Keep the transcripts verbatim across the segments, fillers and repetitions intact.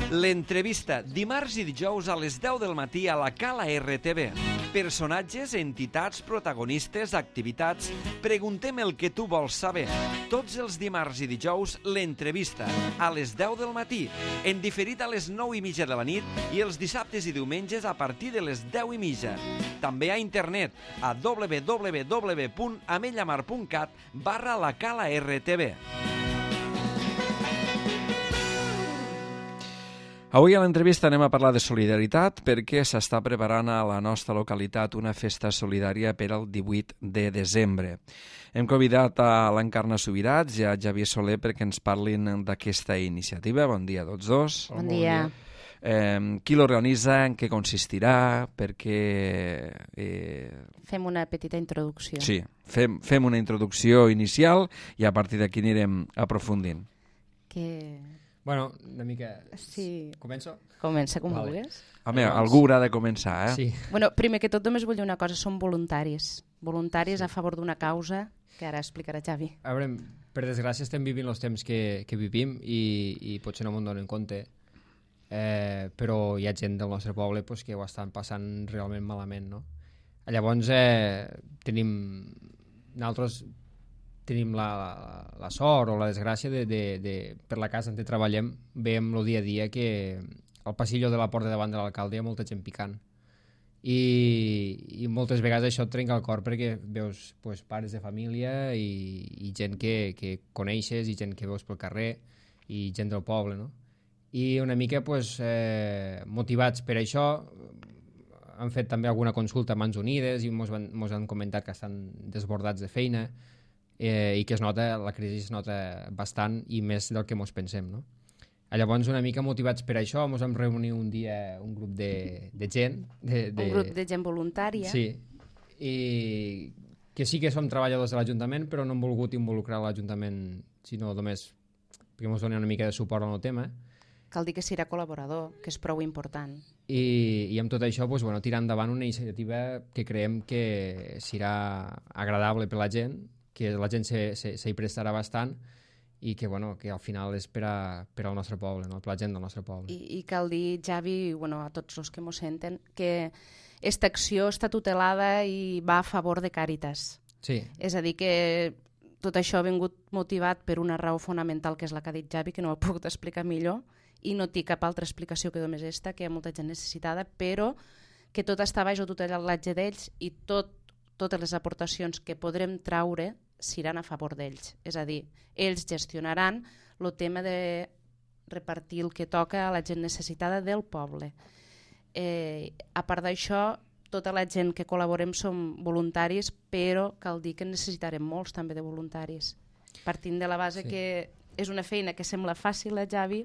L'entrevista, dimarts i dijous a les deu del matí a la Cala R T V. Personatges, entitats, protagonistes, activitats... Preguntem el que tu vols saber. Tots els dimarts i dijous, l'entrevista, a les deu del matí, en diferit a les nou i mitja de la nit i els dissabtes i diumenges a partir de les deu i mitja. També a internet, a w w w punt amellamar punt cat barra la Cala R T V. Avui a l'entrevista anem a parlar de solidaritat perquè s'està preparant a la nostra localitat una festa solidària per al divuit de desembre. Hem convidat a l'Encarna Subirats i a Xavier Soler perquè ens parlin d'aquesta iniciativa. Bon dia a tots dos. Bon dia. Eh, qui l'organitza, en què consistirà, perquè... Eh... Fem una petita introducció. Sí, fem, fem una introducció inicial i a partir d'aquí anirem aprofundint. Que... Bueno, una mica... Sí. Començo? Comença com vale. vulguis. Home, doncs... algú haurà de començar, eh? Sí. Bueno, primer que tot només vull dir una cosa, som voluntaris. Voluntaris sí. A favor d'una causa que ara explicarà Xavi. A veure, per desgràcia estem vivint els temps que, que vivim i, i potser no m'ho donen compte, eh, però hi ha gent del nostre poble pues, que ho estan passant realment malament, no? Llavors, eh, tenim... Nosaltres... tenim la, la, la sort o la desgràcia de, de, de, per la casa on treballem, veiem el dia a dia que al passillo de la porta davant de l'alcalde hi ha molta gent picant i, i moltes vegades això et trenca el cor perquè veus pues, pares de família i, i gent que, que coneixes i gent que veus pel carrer i gent del poble, no? I una mica pues, eh, motivats per això han fet també alguna consulta a Mans Unides i mos, van, mos han comentat que estan desbordats de feina eh, i que es nota, la crisi es nota bastant i més del que mos pensem, no? Llavors, una mica motivats per això, ens vam reunir un dia un grup de, de gent. De, de... Un grup de gent voluntària. Sí, i que sí que som treballadors de l'Ajuntament, però no hem volgut involucrar l'Ajuntament, sinó només perquè ens donen una mica de suport al tema. Cal dir que serà col·laborador, que és prou important. I, i amb tot això, doncs, bueno, tirar endavant una iniciativa que creiem que serà agradable per la gent, que la gent s'hi prestarà bastant i que, bueno, que al final és per, a, per al nostre poble, no? Per la gent del nostre poble. I, i cal dir, Xavi, bueno, a tots els que m'ho senten, que aquesta acció està tutelada i va a favor de Càritas. Sí. És a dir, que tot això ha vingut motivat per una raó fonamental, que és la que ha dit Xavi, que no ho he pogut explicar millor, i no té cap altra explicació que només esta, que hi ha molta gent necessitada, però que tot està baix el tutelatge d'ells i tot, totes les aportacions que podrem traure seran a favor d'ells. És a dir, ells gestionaran el tema de repartir el que toca a la gent necessitada del poble. Eh, a part d'això, tota la gent que col·laborem som voluntaris, però cal dir que necessitarem molts també de voluntaris. Partint de la base sí. Que és una feina que sembla fàcil, eh, Xavi?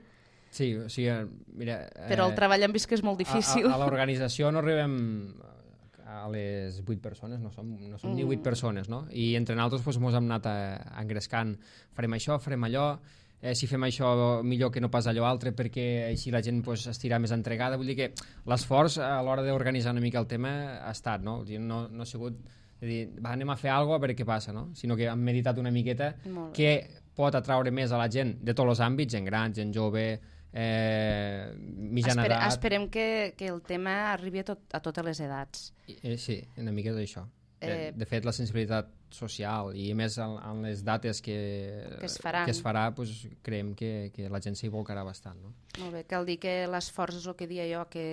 Sí, o sigui, mira... Però el eh, treball hem vist que és molt difícil. A, a, a l'organització no arribem a les vuit persones, no som, no som mm. ni vuit persones, no? I entre nosaltres doncs, ens hem anat a, a engrescant, farem això, farem allò, eh, si fem això millor que no pas allò altre perquè així la gent pues, estirà més entregada. Vull dir que l'esforç a l'hora d'organitzar una mica el tema ha estat, no? No, no ha sigut de dir, va, anem a fer alguna cosa a veure què passa, no? Sinó que hem meditat una miqueta què pot atraure més a la gent de tots els àmbits, gent gran, gent jove, eh, mitjana Espere, edat... Esperem que, que el tema arribi a, tot, a totes les edats. Eh, sí, una mica d'això. Eh, de fet, la sensibilitat social i més en, en les dates que, que es, faran. que es farà, pues, creiem que, que la gent s'hi volcarà bastant. No? Molt bé, cal dir que l'esforç és el que dia jo, que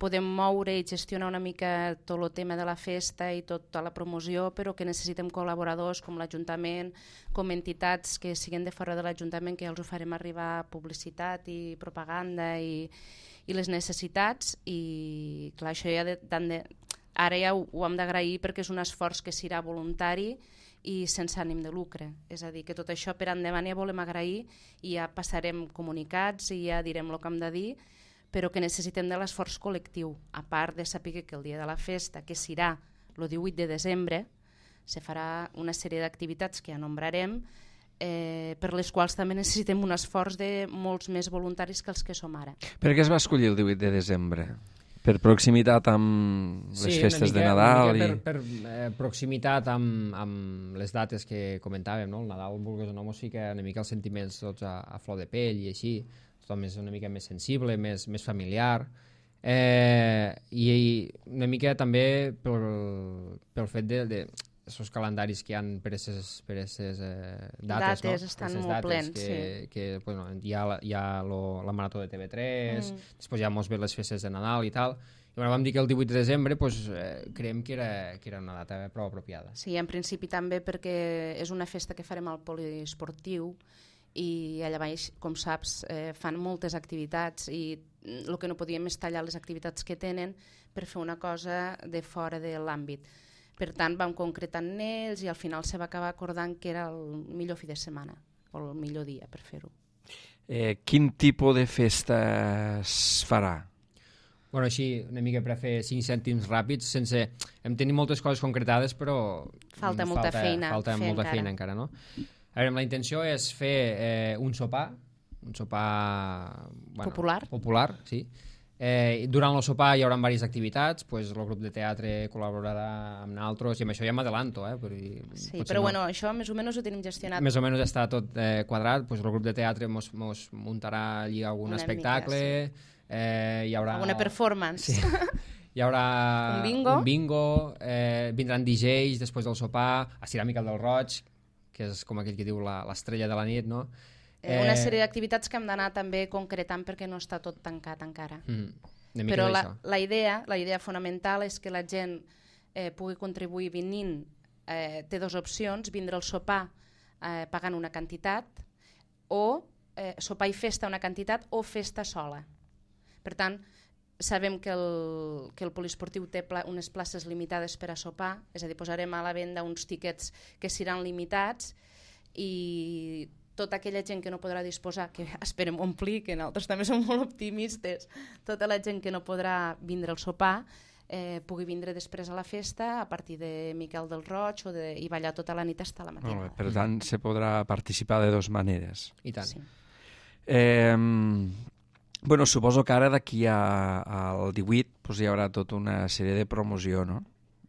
podem moure i gestionar una mica tot el tema de la festa i tota la promoció, però que necessitem col·laboradors com l'Ajuntament, com entitats que siguin de fora de l'Ajuntament, que ja els ho farem arribar publicitat i propaganda i, i les necessitats. I clar, això ja de, de, ara ja ho, ho hem d'agrair perquè és un esforç que serà voluntari i sense ànim de lucre. És a dir, que tot això per endavant ja volem agrair i ja passarem comunicats i ja direm el que hem de dir, però que necessitem de l'esforç col·lectiu, a part de saber que el dia de la festa, que serà el divuit de desembre, se farà una sèrie d'activitats que ja nombrarem, eh, per les quals també necessitem un esforç de molts més voluntaris que els que som ara. Per què es va escollir el divuit de desembre? Per proximitat amb les sí, festes mica, de Nadal? I... Per, per eh, proximitat amb, amb les dates que comentàvem, no? El Nadal, vulguis o no, sí que una mica els sentiments tots a, a flor de pell i així, tothom és una mica més sensible, més, més familiar, eh, i, i una mica també pel, pel fet de, de els calendaris que hi ha per aquestes per aquestes, eh, dates, dates no? estan Aquestes molt dates plens, que, sí. que, bueno, hi ha, la, hi ha lo, la marató de T V tres, Mm. després ja mos ve les festes de Nadal i tal, i bueno, vam dir que el divuit de desembre pues, eh, creiem que era, que era una data prou apropiada. Sí, en principi també perquè és una festa que farem al poliesportiu i allà baix, com saps, eh, fan moltes activitats i el que no podíem és tallar les activitats que tenen per fer una cosa de fora de l'àmbit. Per tant, vam concretar en ells i al final se va acabar acordant que era el millor fi de setmana o el millor dia per fer-ho. Eh, quin tipus de festa es farà? Bueno, així, una mica per fer cinc cèntims ràpids, sense... Hem tenit moltes coses concretades, però... Falta molta feina Falta fer molta encara. feina encara, no? A veure, la intenció és fer eh, un sopar, un sopar... Bueno, Popular. Popular, sí. Eh, durant el sopar hi haurà diverses activitats, pues, el grup de teatre col·laborarà amb nosaltres, i amb això ja m'adelanto, eh? Però, Sí, però no... bueno, això més o menys ho tenim gestionat. Més o menys està tot eh, quadrat, pues, el grup de teatre mos, mos muntarà allí algun Una espectacle, mica, sí. eh, hi haurà... Alguna performance. Sí. Hi haurà Un bingo. un bingo eh, vindran D Js després del sopar, estirar Miquel del Roig, que és com aquell que diu la- l'estrella de la nit, no? Eh, una sèrie d'activitats que hem d'anar també concretant perquè no està tot tancat encara. Mm, una mica Però la, d'això. la, idea, la idea fonamental és que la gent eh, pugui contribuir venint. Eh, té dues opcions, vindre al sopar eh, pagant una quantitat o eh, sopar i festa una quantitat o festa sola. Per tant, sabem que el, que el poliesportiu té pla, unes places limitades per a sopar, és a dir, posarem a la venda uns tiquets que seran limitats i tota aquella gent que no podrà disposar, que esperem omplir, que nosaltres també som molt optimistes, tota la gent que no podrà vindre al sopar eh, pugui vindre després a la festa a partir de Miquel del Roig o de, i ballar tota la nit fins a la Molt bé, matinada. per tant, se podrà participar de dues maneres. I tant. Sí. Eh, bueno, suposo que ara d'aquí a- al divuit pues, hi haurà tota una sèrie de promoció, no?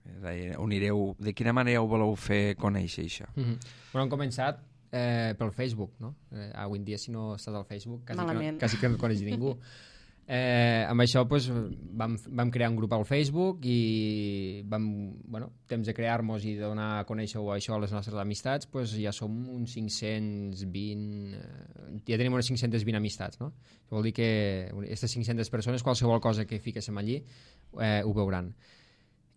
És a dir, on ireu, de quina manera ho voleu fer conèixer, això? Mm -hmm. Bueno, hem començat eh, pel Facebook, no? Eh, avui en dia, si no estàs al Facebook, quasi, que no, Malament. quasi que no et coneix ningú. Eh, amb això pues, vam, vam crear un grup al Facebook i vam, bueno, temps de crear-nos i de donar a conèixer això a les nostres amistats, pues, ja som uns cinc-cents vint, eh, ja tenim unes cinc-centes vint amistats, no? Això vol dir que aquestes cinc-centes persones, qualsevol cosa que fiquéssim allí, eh, ho veuran.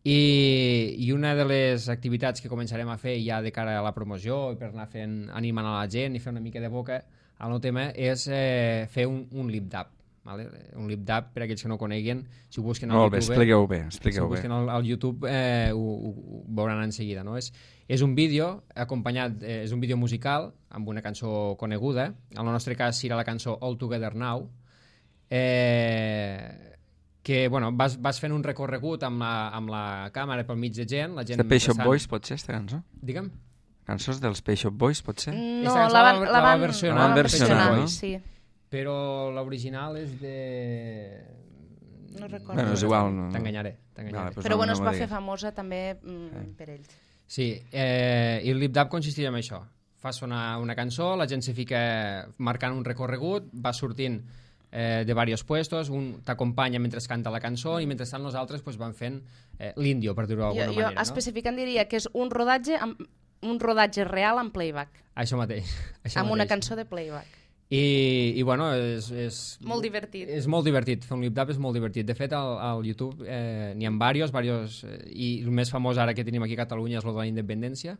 I, I una de les activitats que començarem a fer ja de cara a la promoció i per anar fent, animant a la gent i fer una mica de boca al nou tema és eh, fer un, un lip-dub. Vale? Un lip-dub, per aquells que no ho coneguen, si ho busquen al Molt bé, YouTube... expliqueu bé, Si ho expliqueu bé. busquen al, al YouTube eh, ho, ho, ho veuran en seguida. No? És, és un vídeo acompanyat, eh, és un vídeo musical amb una cançó coneguda. En el nostre cas serà la cançó All Together Now, eh, que bueno, vas, vas fent un recorregut amb la, amb la càmera pel mig de gent. La gent De Pet Shop passant- Boys, pot ser, aquesta cançó? Digue'm. Cançons dels Pet Shop Boys, pot ser? No, Aquesta cançó la van, la- la la va van, versionar- la van versionar, versionar, no? sí. Però l'original és de... No recordo. Bueno, és igual. No, no. T'enganyaré, t'enganyaré. Vale, pues Però no, bueno, no es m'ho va diguis. fer famosa també mm, per ells. Sí, eh, i el lip-dub consistiria en això. Fa sonar una cançó, la gent se fica marcant un recorregut, va sortint eh, de diversos puestos, un t'acompanya mentre canta la cançó i mentrestant nosaltres pues, vam fent eh, l'índio, per dir-ho Jo, d'alguna jo manera. No? especificant diria que és un rodatge amb, un rodatge real en playback, Això mateix. Això amb mateix. una cançó de playback. I, i bueno, és, és... Molt divertit. És molt divertit, fer un lip-dub és molt divertit. De fet, al, al YouTube eh, n'hi ha diversos, diversos eh, i el més famós ara que tenim aquí a Catalunya és el de la independència,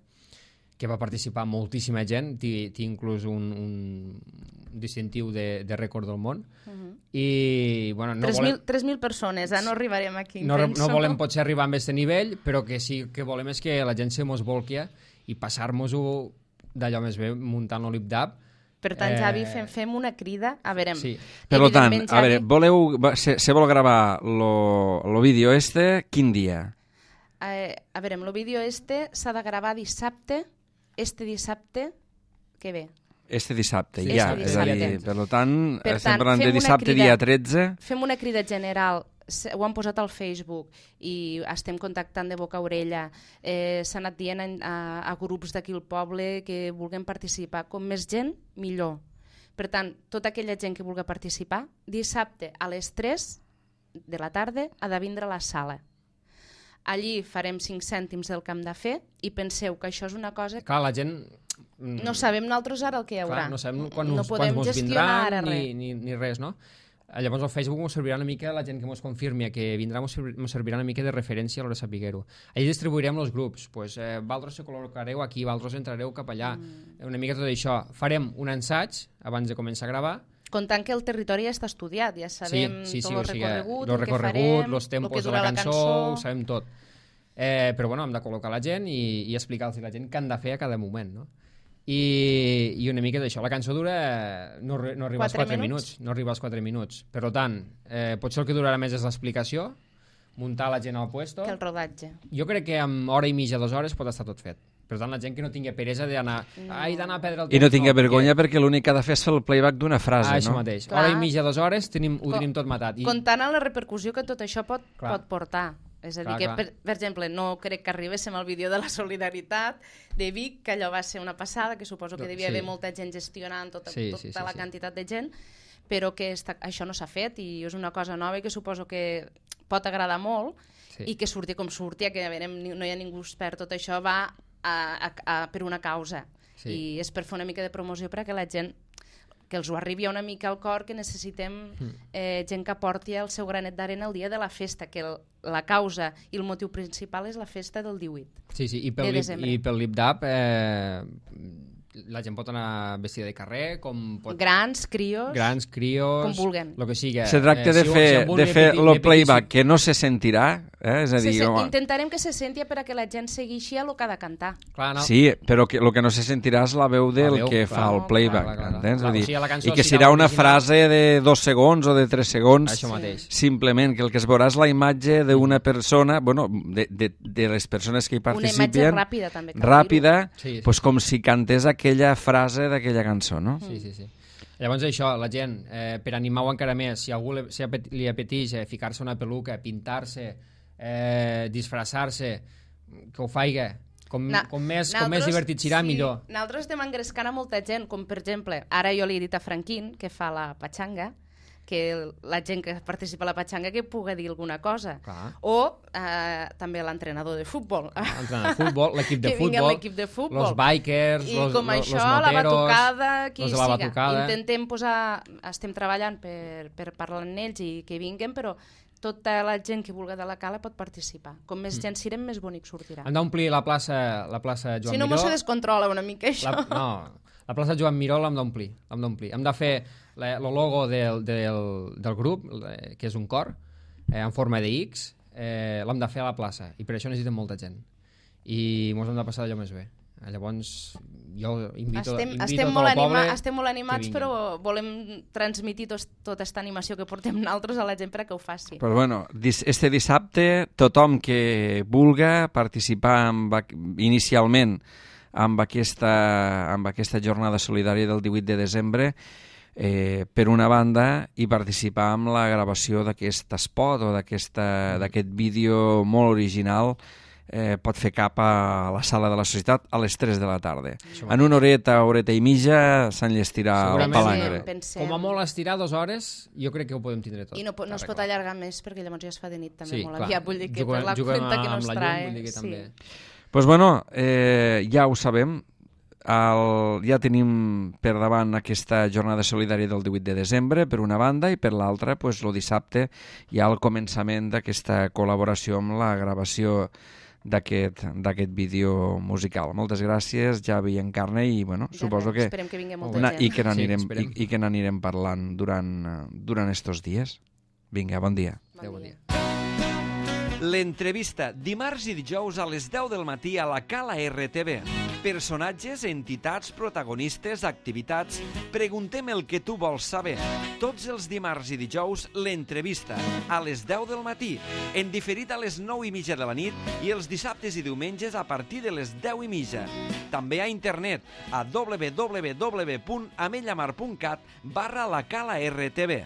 que va participar moltíssima gent, té, té inclús un, un distintiu de, de rècord del món. Uh -huh. I, bueno, no volem... tres mil persones, eh? No arribarem aquí, No, penso. no volem potser arribar a aquest nivell, però que sí que volem és que la gent se mos volqui i passar-nos-ho d'allò més bé muntant el lip-dub. Per tant, Eh, Javi, fem, fem una crida. A veure, Sí. Per tant, evidentment, a veure, Javi, voleu, va- se, se vol gravar lo, lo vídeo este, quin dia? eh, a veure, el vídeo este s'ha de gravar dissabte, este dissabte que ve. Este dissabte, Sí, ja. este És a dir, dissabte. per tant, Per estem tant, parlant de fem una dissabte, crida. dia tretze. Fem una crida general, se- ho han posat al Facebook i estem contactant de boca a orella. Eh, S'ha anat dient a, a, a grups d'aquí al poble que vulguem participar. Com més gent, millor. Per tant, tota aquella gent que vulgui participar, dissabte a les tres de la tarda ha de vindre a la sala. Allí farem cinc cèntims del que hem de fer i penseu que això és una cosa... Clar, la gent... No sabem nosaltres ara el que hi haurà. Clar, no sabem quan, no us, podem quan ens gestionar vindran ara ni, res. ni, ni res, no? Llavors el Facebook ens servirà una mica, la gent que ens confirmi que vindrà ens servirà una mica de referència a l'hora de saber-ho. Allí distribuirem els grups, pues, eh, vosaltres se col·locareu aquí, vosaltres entrareu cap allà, mm. una mica tot això. Farem un ensaig abans de començar a gravar. Comptant que el territori ja està estudiat, ja sabem sí, sí, sí, tot el o sigui, recorregut, el que farem, els tempos el de la cançó, cançó, ho sabem tot. Eh, però bueno, hem de col·locar la gent i, i explicar-los a la gent què han de fer a cada moment, no? I, i una mica d'això. La cançó dura... No, no arriba als quatre minuts? minuts. No arriba als quatre minuts. Per tant, eh, potser el que durarà més és l'explicació, muntar la gent al puesto... Que el rodatge. Jo crec que en hora i mitja, dues hores pot estar tot fet. Per tant, la gent que no tingui peresa d'anar... No. Ai, d'anar a perdre el temps... I no tingui no, vergonya perquè, perquè l'únic que ha de fer és fer el playback d'una frase, ah, no? Això mateix. Clar. Hora i mitja, dues hores, tenim, ho tenim tot matat. I... Comptant en la repercussió que tot això pot, Clar. pot portar. És a dir, Clar, que, clar. per, per exemple, no crec que arribéssim al vídeo de la solidaritat de Vic, que allò va ser una passada, que suposo que devia sí. haver molta gent gestionant tota, sí, tota sí, sí, la sí. quantitat de gent, però que està, això no s'ha fet i és una cosa nova i que suposo que pot agradar molt sí. i que surti com surti, que a veure, no hi ha ningú expert, tot això va a, a, a, per una causa sí. i és per fer una mica de promoció perquè la gent que els ho arribi una mica al cor, que necessitem eh, gent que porti el seu granet d'arena el dia de la festa, que el, la causa i el motiu principal és la festa del divuit sí, sí. I pel de lip, desembre. I pel lip-dap eh, la gent pot anar vestida de carrer, com pot... Grans, crios... Grans, crios... Com vulguen. Lo que sigui. Se tracta de si, fer, si de fer el playback que no se sentirà, eh? És a dir... Se, se, home, intentarem que se senti perquè la gent segueixi a lo que ha de cantar. Clar, no. Sí, però que, el que no se sentirà és la veu del veu, que clar, fa el playback, clar, clar, clar. entens? Clar, Clar, o sigui, la cançó, i que si serà la una original... frase de dos segons o de tres segons, Això mateix. simplement, que el que es veurà és la imatge d'una persona, bueno, de, de, de les persones que hi participen, una imatge ràpida, també. Ràpida, sí, sí, pues, sí. com si cantés aquella frase d'aquella cançó, no? Sí, sí, sí. Llavors això, la gent, eh, per animar-ho encara més, si a algú li, si li apeteix eh, ficar-se una peluca, pintar-se, eh, disfressar-se, que ho faiga. Com, Na, com, més, com més divertit serà, sí, millor. Nosaltres estem engrescant a molta gent, com per exemple, ara jo li he dit a Franquín, que fa la patxanga, que la gent que participa a la patxanga que pugui dir alguna cosa. Clar. O eh, també l'entrenador de futbol. L'entrenador de futbol, l'equip de que vingui futbol, l'equip de futbol. los bikers, I los, com los, això, los moteros, la batucada, qui los de la siga. batucada. Intentem posar... Estem treballant per, per parlar amb ells i que vinguen, però tota la gent que vulgui de la cala pot participar. Com més gent sirem, més bonic sortirà. Hem d'omplir la plaça, la plaça Joan si no, Miró. no se descontrola una mica, això. La, no, la plaça Joan Miró l'hem d'omplir. L'hem d'omplir. Hem de fer el logo del, del, del grup, que és un cor, eh, en forma de X, eh, l'hem de fer a la plaça. I per això necessitem molta gent. I ens hem de passar allò més bé. Llavors, jo invito, estem, invito estem, tot molt el poble anima, estem molt animats, però volem transmitir tos, tota aquesta animació que portem nosaltres a la gent perquè ho faci. Però bueno, este dissabte tothom que vulga participar amb, inicialment amb aquesta, amb aquesta jornada solidària del divuit de desembre, eh, per una banda, i participar amb la gravació d'aquest spot o d'aquest vídeo molt original, eh, pot fer cap a la sala de la societat a les tres de la tarda. En una horeta, horeta i mitja s'enllestirà el palangre. Pensem. Com a molt estirar dues hores, jo crec que ho podem tindre tot. I no, no es pot allargar més perquè llavors ja es fa de nit també sí, molt clar. aviat. Vull dir que juguem, per la cuenta que nos trae. Llum, que també... Pues bueno, eh, ja ho sabem, el, ja tenim per davant aquesta jornada solidària del divuit de desembre, per una banda, i per l'altra, pues, el dissabte hi ha el començament d'aquesta col·laboració amb la gravació d'aquest d'aquest vídeo musical. Moltes gràcies, Javi i Encarna, i bueno, Ja suposo res, que, esperem que vingui molta una, gent. i que n'anirem Sí, i, i que n'anirem parlant durant, durant estos dies. Vinga, bon dia. Adéu, bon dia. L'entrevista, dimarts i dijous a les deu del matí a la Cala R T V. Personatges, entitats, protagonistes, activitats... Preguntem el que tu vols saber. Tots els dimarts i dijous, l'entrevista, a les deu del matí, en diferit a les nou i mitja de la nit i els dissabtes i diumenges a partir de les deu i mitja. També a internet, a w w w punt amellamar punt cat barra la Cala R T V.